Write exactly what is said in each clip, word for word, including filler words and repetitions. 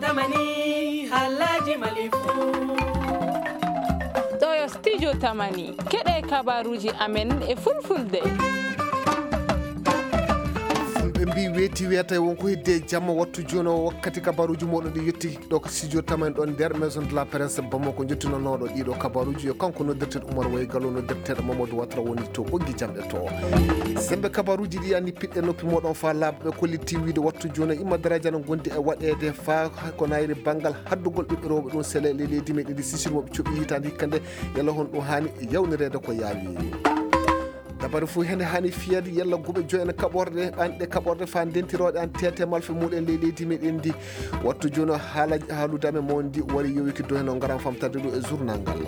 Tamani, halaji malifu. Ɗo yo studio Tamani. Keɗe kabaruji amen e fulfulde. Ɓe mbi weeti weeta, wonko heddi e jamma. Wattu jooni o, wakkati kabaruji moɗon ɗi yetti ɗo ko studio Tamani ɗon nder Maison de la Presse Bamako, jottinonooɗo ɗiɗo kabaruji. Yo kanko noddirteeɗo Oumar Way Gallo, noddirteeɗo Mamadou Watra woni to ɓoggi jamɗe to. Sembe kabaruji ɗi yani piɗɗe noppi moɗon fa laaɓa. Ɓe kolliti wiide wattu jooni o, imma daraaji ana gondi e waɗeede fa ko nayri banngal haddugol ɓiɓɓe rewɓe ɗum sele e leydi meɗen ndi. Sisir moɓe coɓi hitaande hikka nde, yalla hon ɗum haani yawnireede ko yaawi. Dabare fof hende haani fiyeede yalla guɓe joyi en kaɓorde, ɓanɗe kaɓorde fa ndentirooɗe an tete malfe muɗen ley leydi meɗen ndi. Wattu jooni o, haala, haalude amen mo ndi wari yowiki dow heno ngaran famtade ɗo e journal ngal.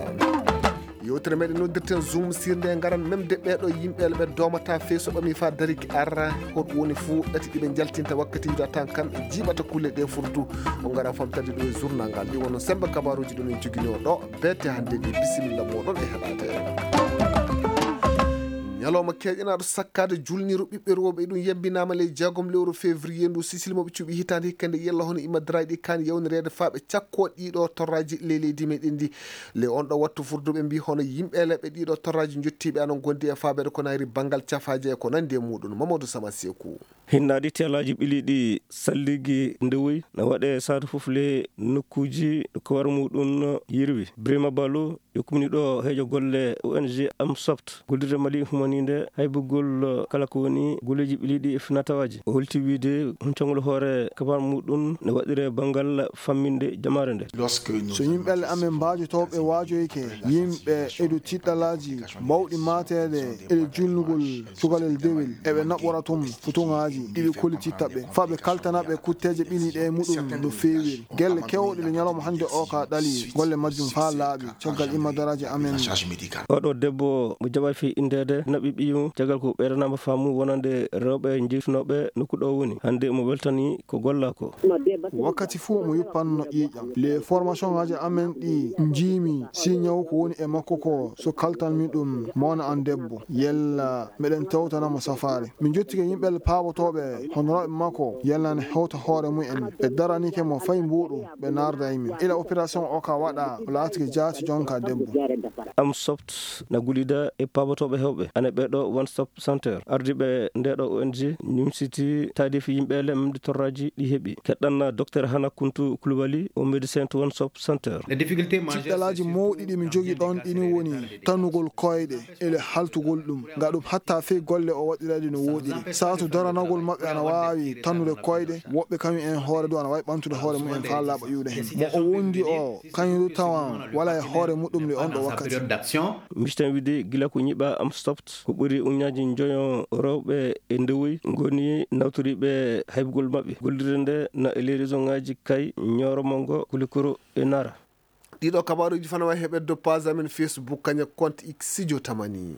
Yewtere meɗen noddirten Zoom sirnde e ngaran memde ɓeɗo yimɓe ɓe doomata fey so ɓami fa dariki arra. Hoɗum woni fuu ɗati ɗiɓe jaltinta wakkati yuda tan kamɓe jiiɓata kulle ɗe furdu. O ngaran famtade ɗo e journal ngal. Ɗi wonno sembe kabaruji ɗum en joginoo ɗo. Beete hannde ni, bisimilla moɗon e heɗaade. Ñalawma keeƴanaaɗo sakkaade julniiru ɓiɓɓe rewɓe, ɗum yembinaama ley jeegom lewru février ndu. Sisili mo ɓe cuɓi hitaande hikka nde, yalla hono imma daraaji ɗi kaani yawnireede faa ɓe cakkoo ɗiɗo torraaji ley leydi meɗen ndi. Ley on ɗo wattu furduɓe mbi hono yimɓe leɓɓe ɗiɗo torraaji jottiiɓe ana ngondi e faabeede ko nayri banngal cafaaje e ko nandi e muɗum. Mamadou Sama Seku. Hinnaadi teelaaji ɓiliiɗi salligi ndewoyi na waɗe saatu fof le nokkuuji ko war muɗum yirwi. Brima Balo, yo kumni ɗo heejo golle O N G Amsoft, gollirde Mali humaniinde haybugol kala ko woni golleeji ɓiliiɗi e finatawaaji. O holti wiide huncangol hoore kabar muɗum ne waɗire banngal famminde jamaare nde. So yimɓe amen mbaajotooɓe waajoyke, yimɓe edu tiɗɗalaaji mawɗi maateede e julnugol cukalel dewel, eɓe naɓora toon futuŋaaji ɗi ɓe kollititta ɓe, faa ɓe kaltana ɓe kutteeje ɓiliiɗe e muɗum no feewiri. Gelle keewɗe ɗe ñalawma hannde o ka ɗali, golle majjum faa laaɓi, caggal imma daraaji amen. Oɗo debbo mo jaɓaay fii inndeede naɓi ɓiyum, caggal ko ɓeydanaama faamu wonande rewɓe jeytunooɓe nokku ɗo woni. Hannde mo weltani ko golla ko. Wakkati fuu mo yuppanno ƴiiƴam. Les formations ŋaaji amen ɗi njiimi si ñaw ko woni e makko ko, so kaltanmi ɗum, mo wona an debbo, yella meɗen tewtana mo safaare. Min jottike yimɓe paabotooɓe honoraaɓe makko, yella ne hewta hoore mumen. Ɓe daranike mo fay mbuuɗu, ɓe naarda e min. Ila opération o ka waɗa, o laatike jaati jonka debbo. Amsoft na gullida e paabotooɓe hewɓe. Ana ɓeɗo One Stop Center. Ardiiɓe ndeɗo O N G ñumsiti taadifi yimɓe le memde torraaji ɗi heɓi. Keɗɗanna Docteur Hana Kuntu Kulubali, o médecin to One Stop Center. Tiɗɗalaaji mawɗi ɗi mi jogi ɗon ɗini woni tanugol koyɗe, ele haltugol ɗum. Nga ɗum hatta fey golle o waɗirade no woɗiri. Saatu daranagol maɓɓe ana waawi tannude koyɗe, woɓɓe kañum en hoore du ana waawi ɓantude hoore mumen faa laaɓa iwde hen. Mo o wondi o, kañum du tawan wala e hoore muɗum le on ɗo wakkati. Misten wiide gila ko ñiɓa Amsoft, ko ɓuri uñaaji njoyo rewɓe e ndewoyi ngoni nawtoriiɓe haybugol maɓɓe. Gollirde nde na e ley réseau ŋaaji kay Ñooro Mongo, Kulikoro e Nara. Ɗiɗo kabaruji fana wawi heɓede dow page amen Facebook, kañe compte X Studio Tamani.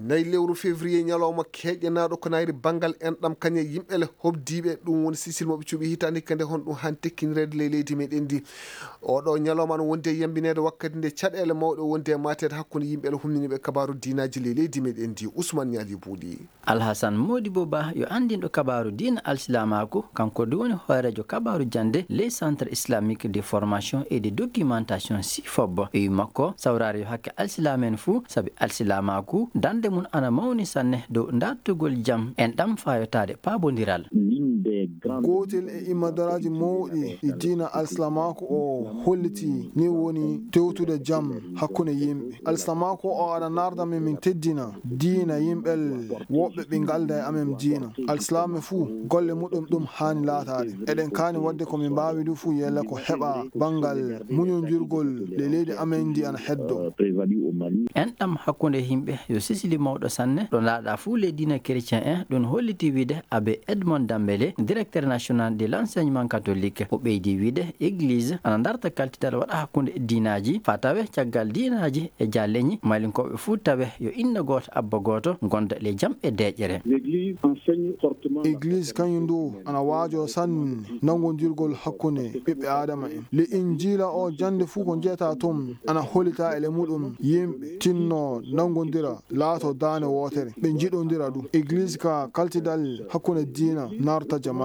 Nayi lewru février, ñalawma keƴƴanaaɗo ko nayri banngal enɗam kañe yimɓe le hobdiiɓe, ɗum woni sisil mo ɓe cuɓi hitaande hikka nde, honɗum han tekkinireede ley leydi meɗen ndi. Oɗo ñalawma no wondi e yambineede wakkati nde caɗeele mawɗe wondi e maateede hakkunde yimɓe le humniniiɓe kabaru diinaaji ley leydi meɗen ndi. Ousmane Ñaali Buuɗi. Alhasan Modibo Ba yo anndinɗo kabaaru diina alsilaamaaku, kanko du woni hooreejo kabaaru jannde ley Centre Islamique de Formation et de Documentation, CIFOB. E wi makko, sawraare yo hakke alsilaam'en fuu, sabi alsilaamaaku, darnde mum ana mawni sanne dow dartugol jam, enɗam faayotaade paabondiral. Gootel e imma daraaji mawɗi ɗi diina alsilaamaaku o holliti ni woni tewtude jam hakkunde yimɓe. Alsilaamaaku o aɗa naarda min, min teddina diina yimɓe woɓɓe ɓe ngalda e amen diina. Alsilaame fuu golle muɗum ɗum haani laataade. Eɗen kaani waɗde ko min mbaawi du fuu yella ko heɓa banngal muñondirgol le leydi amen ndi ana heddo. Enɗam hakkunde yimɓe yo sisili mawɗo sanne, ɗo laaɗa fuu le diina chrétien en, ɗum holliti wiide Abbé Edmond Dambélé, directeur national de l'enseignement catholique. O ɓeydi wiide église ana darta kaltidal waɗa hakkunde diinaaji, faa tawe caggal diinaaji e jaalleñi, malinkoɓe fuu tawe yo inna gooto, abba gooto, ngonda le jam e deeƴere. Église kañum du ana waajo sanne nanngondirgol hakkunde ɓiɓɓe Aadama en. Le Injiila o jannde fuu ko njeyataa toon ana hollita e le muɗum yimɓe tinno nanngondira laato daane wootere. Ɓe njiɗondira du. Église ka kaltidal hakkunde diina naarta jama.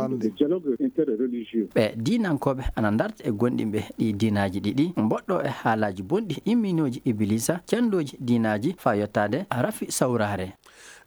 Ɓe diinankooɓe ana ndarta e gonɗinɓe ɗi diinaaji ɗiɗi, mboɗɗo e haalaaji bonɗi, imminooji Ibiliisa, cenndooji diinaaji, faa yottaade rafi sawraare.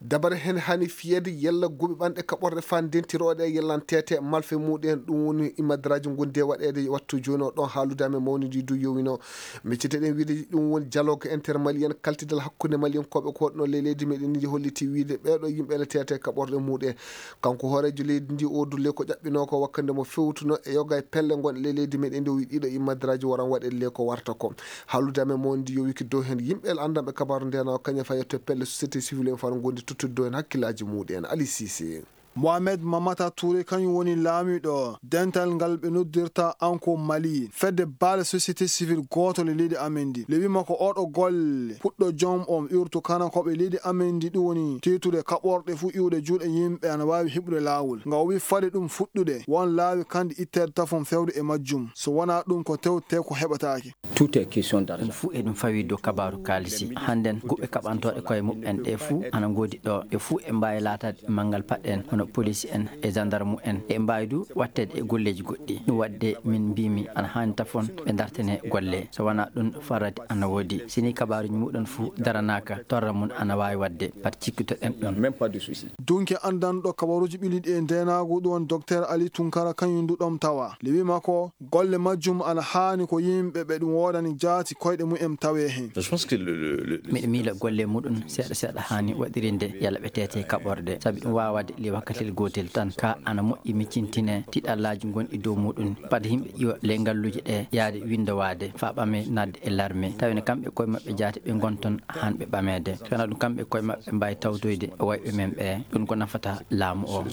Dabare heen hani fiyeede yalla guɓe ɓanɗe kaɓorɗe faa ndentirooɗe e yallanteete malfe muɗum en, ɗum woni imadraaji ngonndi e waɗeede wattu jooni o. Ɗoon haalude amen mawnidi du yowino. Micciteɗen wiide ɗum woni dialogue intermalien, kaltidal hakkunde maliyankooɓe ko waɗno ley leydi meɗen ndi holliti wiide ɓeeɗo yimɓe ene teete kaɓorɗe muɗum en. Kanko hooreejo leydi ndi o dulle ko ƴaɓɓinoo ko wakkande mo fewtuno e yoga e pelle ngon ley leydi meɗen ndi o wi ɗiɗo imadraaji waran waɗe le ko warta ko. Haalude amen mo ndi yowiki dow heen yimɓe anndanɓe kabaaru ndena o kañum fayetto pelle société civile en fano gondi tottude dow heen hakkillaaji muɗum en. Ali Sise. Mohamed Mamata Touré kañum woni laamiiɗo dental ngal ɓe noddirta Anko Mali, fedde baale société civile gooto le leydi amen ndi. Le wima ko oɗo golle puɗɗo joom on urtu kana ko ɓe leydi amen ndi ɗum woni titude kaɓorɗe fuu iwde juuɗe yimɓe ana waawi heɓude laawol. Nga o wi fade ɗum fuɗɗude, won laawi kandi itteede tafon fewde e majjum. So wonaa ɗum ko tewte ko heɓataake. Tout est question d'argent. Ɗum fuu eɗum fawii dow kabaaru kaalisi. Hannden guɓe kaɓantooɗe koye muɓɓen ɗe fuu ana ngoodi ɗo. Ɗe fuu e mbaawi laataade manngal paɗɗen hono poliisi en e jandarmu en. E mbaawi du watteede e golleeji goɗɗi. Ɗum waɗde min mbiimi ana haani tafon ɓe ndartene golle. So wonaa ɗum farade ana woodi. Si ni kabaaruuji muɗum fuu daranaaka, torra mum ana waawi waɗde. Pat cikkitoɗen ɗum. Même pas de souci. Dunke anndanɗo kabaruuji ɓiliɗi e ndeenaagu ɗum woni Docteur Ali Tunkara kañum du ɗom tawa. Le wima ko golle majjum ana haani ko yimɓe ɓe ɗum woodani jaati koyɗe mumen tawee heen. Je pense que le, le, le, le Miɗo miila golle muɗum seeɗa seeɗa haani waɗirinde yalla ɓe teete kaɓorɗe. Sabi ɗum waawaade le wakkatil gootel tan ka ana moƴƴi miccintine tiɗallaaji gonɗi dow muɗum. Pad yimɓe iwa le ngalluuje ɗe yaade winndowaade faa ɓame naatde e larme. Tawi no kamɓe koye maɓɓe jaati ɓe ngonton haan ɓe ɓameede. Kana ɗum kamɓe koye maɓɓe mbaawi tawtoyde wayɓe men ɓe. Ɗum ko nafata laamu o.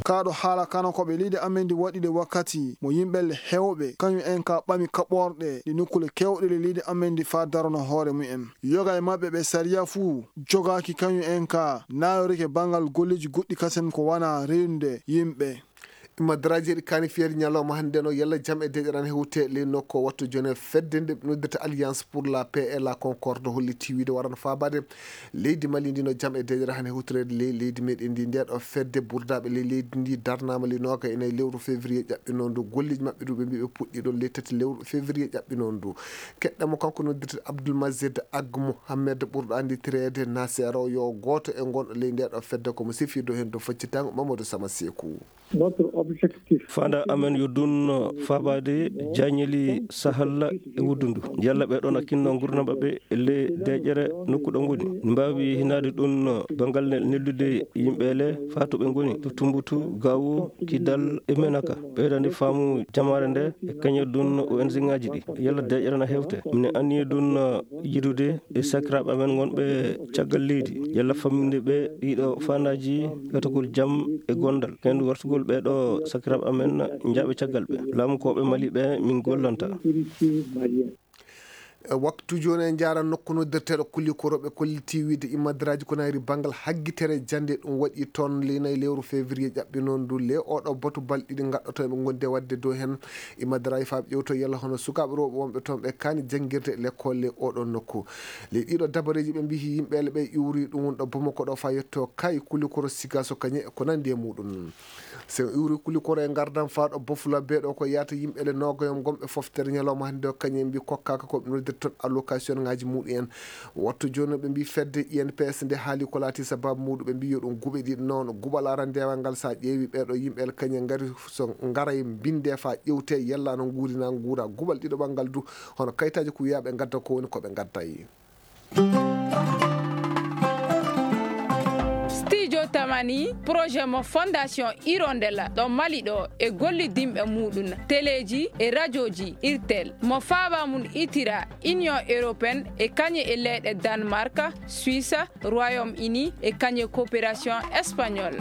Kaɗo haala kana ko ɓe leydi amen ndi waɗi de wakkati mo yimɓe le hewɓe kañum en ka ɓami kaɓorɗe ɗi nokkule kewɗe le leydi amen ndi faa darono hoore mumen. Yoga e maɓɓe ɓe sariya fuu jogaaki kañum en ka naayorike banngal golleeji goɗɗi kasen ko wana reynude yimɓe. Imadraji eɗi kaani fiyade ñalawma hannde no yalla jam e deƴƴere ana hewte ley nokku o wattu jone fedde nde ɓe noddirta Alliance pour la paix et la concorde holliti wiide warano faabaade leydi Mali ndi no jam e deƴƴere hannde hewtoreede ley leydi meɗen ndi. Nde ɗo fedde burdaaɓe ley leydi ndi darnaama ley nooga e nayi lewru février ƴaɓɓinoo ndu. Golleeji maɓɓe du ɓe mbi ɓe puɗɗi ɗon ley tati lewru février ƴaɓɓinoo ndu. Keɗɗamo kanko noddirta Abdoul Mazid Ag Mohamed ɓurɗo annditirede Nasero yo gooto e ngonɗo ley nde ɗo fedde ko mo sifirdo heen dow faccitango Mamadou Sama Seeku. Notre objectif. Faanda amen yo dun faabaade jaañeli sahalla e wuddundu. Yalla ɓe ɗon akkinno ngurnam maɓɓe le deƴƴere nokku ɗo ngoni. Ne mbaawi hinaade ɗun banngal ne-, neldude yimɓe le faa to ɓe ngoni, to Tumbutu, Gaawo, Kidal e Menaka. Ɓeydande faamu jamaare nde e kañe dun O N G ŋaaji ɗi. Yalla deƴƴere na hewte. Mine anniye dun yidude e sakiraaɓe amen ngonɓe caggal leydi. Yalla famminde ɓe ɗiɗo faandaaji gatagol jam e gondal. Heen wartugol ɓee ɗo sakiraaɓe amen njaaɓe caggal ɓe. Laamukooɓe Mali ɓe min gollanta. E waktu jooni en njaara nokku noddirteeɗo Kulikoro ɓe kolliti wiide imadraji ko nayri banngal haggitere jannde ɗum waɗi toon le nayi lewru février ƴaɓɓinoo ndu le oɗo batu balɗe ɗiɗi gaɗɗoto ɓe gondi e waɗde dow heen. Imadraji faa ɓe ƴewto yalla hono sukaaɓe rewɓe wonɓe toon ɓe kaani janngirde e lekkolle oɗo nokku. Ley ɗiɗo dabareeji ɓe mbiyi yimɓe le ɓe iwri ɗum woni ɗo Bamako ɗo faa yetto kay Kulikoro Sigaso kañe e ko nanndi e muɗum. So en iwri Kulikoro e ngardam faa ɗo Bofula bee ɗo ko yahata yimɓe le noogayo gonɓe foftere ñalawma hannde o kañum en mbi kokkaaka ko ɓe noddirta toon allocation ŋaaji muɗum en. Wattu jooni ɓe mbi fedde I N P S nde haali ko laati sababu muɗum ɓe mbi yo ɗum guɓe ɗiɗi noon. Guɓal arandewal ngal so a ƴeewi ɓee ɗo yimɓe le kañum en ngari so ngaray mbinde faa ƴewte yalla no nguuri na nguura. Guɓal ɗiɗo ɓanngal du hono kayitaaji ko wiyaa ɓe ngadda ko woni ko ɓe ngadday. Studio Tamani, projet mo Fondation Hirondelle ɗo Mali ɗo e gollidinɓe muɗum, teleeji e rajooji Irtel, mo faaba mum itira Union Européenne e kañe e leyɗe Danemark, Suisse, Royaume-Uni e kañe coopération espagnole.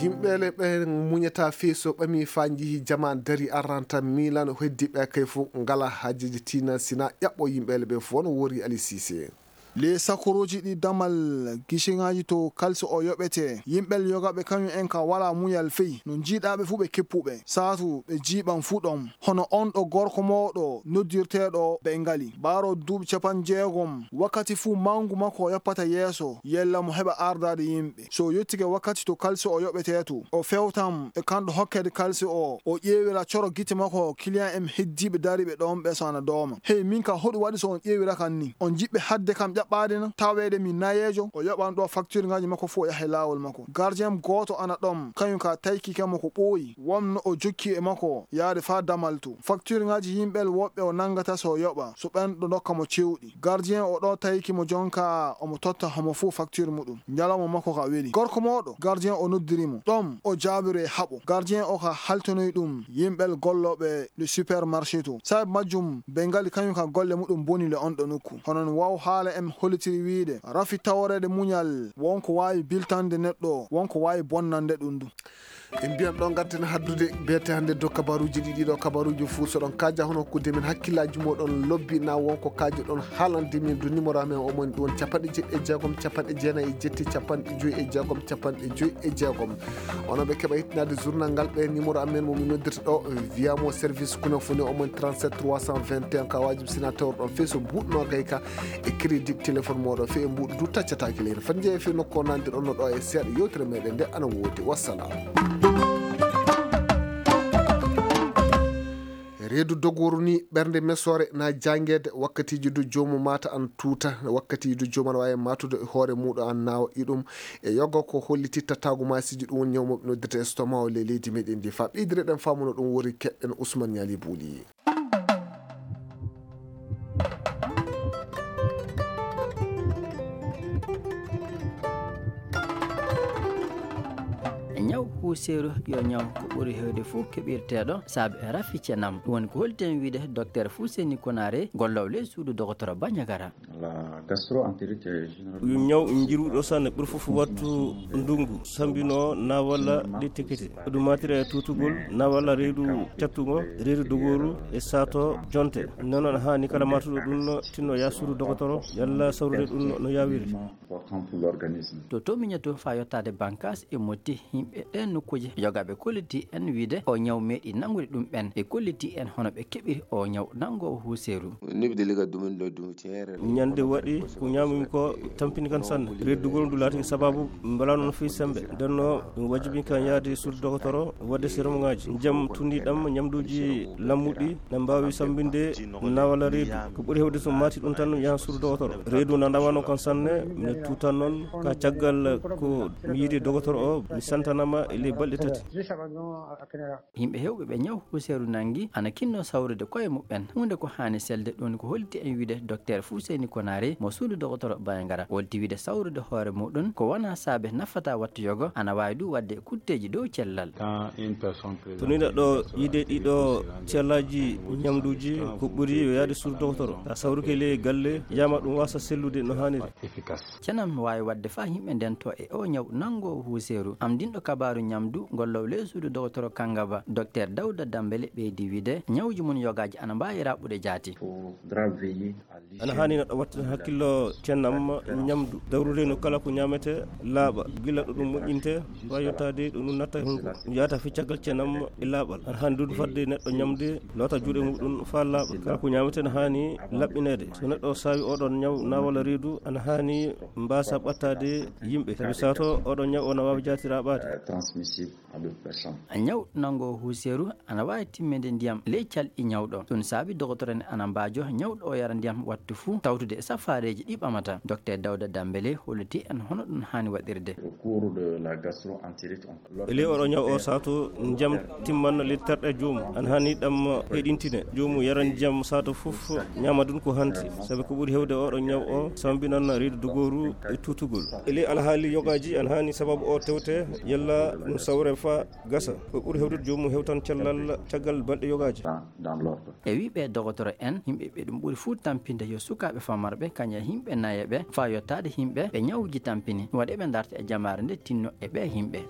Yimɓe le ɓe muñata fii so ɓami faa njihi jaman dari aranta Milan heddi ɓe kay fof ngala haajeji tina sina ƴaɓɓo yimɓe le ɓe fof no wori Ali Cissé. Ley sakuruuji ɗi damal gisiŋaaji to kalsi o yoɓetee, yimɓe yogaaɓe kañum en ka walaa muñal fey, no njiiɗaa ɓe fuu ɓe kippuɓe, saatu ɓe jiiɓan fuu ɗon. Hono on ɗo gorko mooɗo noddirteeɗo Bengali, ɓaaroo duuɓi capanɗe jeegom, wakkati fuu mawngu makko o yoppata yeeso, yella mo heɓa ardaade yimɓe. So o yottike wakkati to kalsi o yoɓetee to, o fewtan e kanɗo hokkeede kalsi o, o ƴeewira coro gite makko kiliyan en heddiiɓe dariiɓe ɗon ɓe so ana dooma. Hey, min ka hoɗum waɗi so on ƴeewira kan ni? On jiɓɓe hadde kam ƴaɓɓaade na? Taweede mi nayeejo, o yoɓan ɗo faktirŋaaji makko fuu o yaha e laawol makko. Gardien gooto ana ɗon, kañum ka taykike mo ko ɓooyi. Wonno o jokki e makko yaade faa damal to. Faktirŋaaji yimɓe woɓɓe o nanngata so o yoɓa, so ɓen ɗo ndokka mo cewɗi. Gardien o ɗo tawiki mo jonka omo totta homo fuu facture muɗum. Ñalawma makko ka weli. Gorko mooɗo, gardien o noddiri mo. Ɗon o jaabiro e haɓo. Gardien o ka haltonoy ɗum yimɓe gollooɓe le supermarché to. Sababu majjum, Bengali kañum ka golle muɗum boni le on ɗo nokku. Hono no waaw haala en hollitiri wiide, rafi taworeede muñal, wonko waawi biltande neɗɗo, wonko waawi bonnande ɗum du. En mbiyan ɗo ngarten haddude beete hannde dow kabaruuji ɗi, ɗiɗo kabaruuji fuu so ɗon kaaja hono hokkude min hakkillaaji mooɗon lobbi na wonko kaaji ɗon haalande min du numéro amen o mon ɗum woni capanɗe jeɗɗi e jeegom, capanɗe jeenayi e jetti, capanɗe joyi e jeegom, capanɗe joyi e jeegom. Onon ɓe keɓa hittinaade journal ngal ɓe numéro amen mo min noddirta ɗo via mo service kuna fune o mon trente-sept trois cent vingt et un ka waajib sina tawr ɗon fii so buuɗno gay ka e crédit téléphone mooɗo fii e mbuuɗu du taccataake leydi. Fat njeeya fii nokku o nanndi ɗon no ɗo e seeɗa yewtere meɗen nde ana woodi. Wassalam. Reedu dogooru ni ɓernde mesoore na jangeede wakkatiiji du joomu maata an tuuta, wakkatiiji du joomu ana waawi maatude hoore muuɗo an naawa iɗum. E yoga ko holliti tattaagu maasiiji ɗum woni ñaw mo ɓe noddirta estomac o ley leydi meɗen ndi. Fa ɓeydire ɗen faamuno ɗum wori keɗɗen Ousmane Ñaali Buuli. Ñaw puuseeru yo ñaw ko ɓuri heewde fof keɓirteeɗo saabe rafi cenam. Ɗum woni ko holti en wiide docteur Fuseni Konare, golloowo ley suudu dogotoro Bandiagara. Yo ñaw njiruɗo sanne ɓuri fof wattu ndungu sambino na walla ɗi tekete. Ɗum matira e tutugol na walla reedu cattugo, reedu dogooru e saato jonte. Nonon haani kala matuɗo ɗum tinno ya suudu dogotoro yalla sawrude ɗum no yawiri. To to miñoto fa yottaade bankas e motti yimɓe ɗen nokkuuje, yogaaɓe kolliti en wiide o ñaw meeɗi nangude ɗum ɓen. Ɓe kolliti en hono ɓe keɓiri o ñaw nangoowo huuseeru. Ñande waɗi ko ñaamumi ko tampini kan sanne. Reddugol ndu laati sababu mbela noon fii sembe. Ndenno ɗum wajibi kan yaade suudu dogotoro wadde serum ngaji. Jam tundi ɗam ñamduuji lammuɗi na mbaawi sambinde nawala reedu. Ko ɓuri hewde so maati ɗum tan yaha suudu dogotoro. Reedu na ndawano kan sanne, mi tutan noon ka caggal ko mi yiidi dogotoro o, mi santanama e ley balɗe tati. Yimɓe hewɓe ɓe ñaw huuseeru nangi ana kinno sawrude koye muɓɓen. Huunde ko haani selde ɗum ko holti en wiide docteur Fuseni Konare mo suudu dogotoro Bandiagara. Holti wiide sawrude hoore muɗum ko wona saabe nafata wattu yogo ana waawi ɗum waɗde kutteeji dow cellal. To ni neɗɗo yiide ɗiɗo cellaji ñamduuji ko ɓuri yo yaade suudu dogotoro. Ta sawruke ley galle yama ɗum wasa sellude no haaniri. Cenam waawi waɗde faa yimɓe ndento e o ñaw nangoowo huuseeru. Am dinɗo kabaaru ñamdu ngollowo ley suudu dogotoro Kangaba, docteur Dawda Dambele ɓeydi wiide ñawji mum yogaaji ana mbaawi raɓɓude jaati. Ana haani neɗɗo watta hakkillo cennam ñamdu dawrude no kala ko ñamete laaɓa gila ɗo ɗum moƴƴinte. Wa yottaade ɗo ɗum natta hunko yaata fi caggal cennam e laaɓal. Ana haani duudu fadde neɗɗo ñamde loota juuɗe muɗum faa laaɓa. Kala ko ñamete no haani laɓɓineede. So neɗɗo saawi oɗon ñaw na walla reedu ana haani mbaasa ɓattaade yimɓe. Sabi sato oɗon ñaw o na waawi jaatiraɓaade. Ñaw nango huuseeru ana waawi timminde ndiyam ley calɗi ñawɗo. Ɗum saabi dogotoro en ana mbaajo ñawɗo o yara ndiyam wattu fuu tawtude e safaareeji ɗi ɓamata. Docteur Dawda Dambele holliti en hono ɗum haani waɗirde. E ley oɗo ñaw o sato ndiyam timman ley terɗe joomum. Ana haani ɗam heɗintine joomum yara ndiyam sato fof ñaama ɗum ko hanti. Sabi ko ɓuri hewde oɗo ñaw o sambinan reedu dogooru e tutugol. E ley alhaali yogaaji ana haani sababu o tewte yalla ɗum sawre fa gasa. Ko ɓuri hewtude joomum hewtan cellal caggal balɗe yogaaji. E wii ɓee dogotoro en yimɓe ɓe ɗum ɓuri fuu tampinde yo sukaaɓe famarɓe kañe yimɓe nayeɓe faa yottaade yimɓe ɓe ñawuuji tampini. Waɗi ɓe ndarta e jamaare nde tinno e ɓee yimɓe.